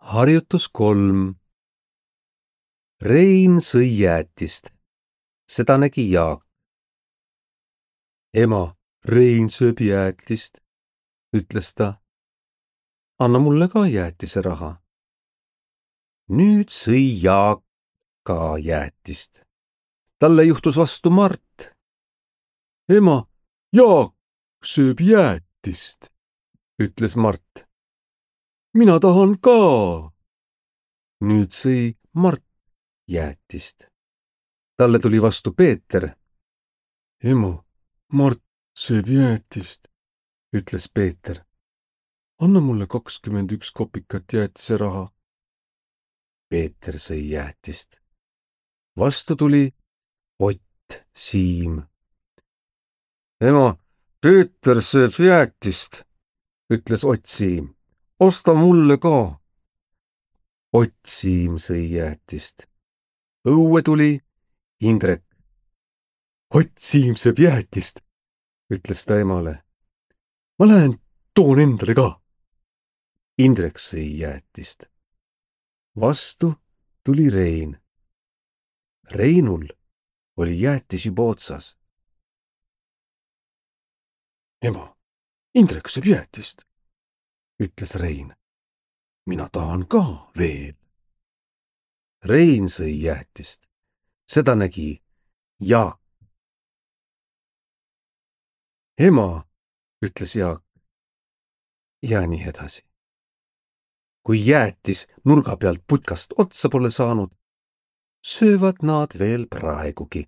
Harjutus 3. Rein sõi jäätist. Seda nägi Jaak. Ema, Rein sööb jäätist, ütles ta. Anna mulle ka jäätise raha. Nüüd sõi Jaak ka jäätist. Talle juhtus vastu Mart. Ema, Jaak sööb jäätist, ütles Mart. Mina tahan ka. Nüüd sõi Mart jäätist. Talle tuli vastu Peeter. Ema, Mart sööb jäätist, ütles Peeter. Anna mulle 21 kopikat jäätise raha. Peeter sõi jäätist. Vastu tuli Ott Siim. Ema, Peeter sööb jäätist, ütles Ott Siim. Osta mulle ka. Ott Siim sõi jäätist. Õue tuli Indrek. Ott Siim sööb jäätist, ütles ta emale. Ma lähen toon endale ka. Indrek sõi jäätist. Vastu tuli Rein. Reinul oli jäätis juba otsas. Ema, Indrek sööb jäätist, ütles Rein. Mina tahan ka veel. Rein sõi jäätist. Seda nägi Jaak. Ema, ütles Jaak. Ja nii edasi. Kui jäätis nurga pealt putkast otsa pole saanud, söövad nad veel praegugi.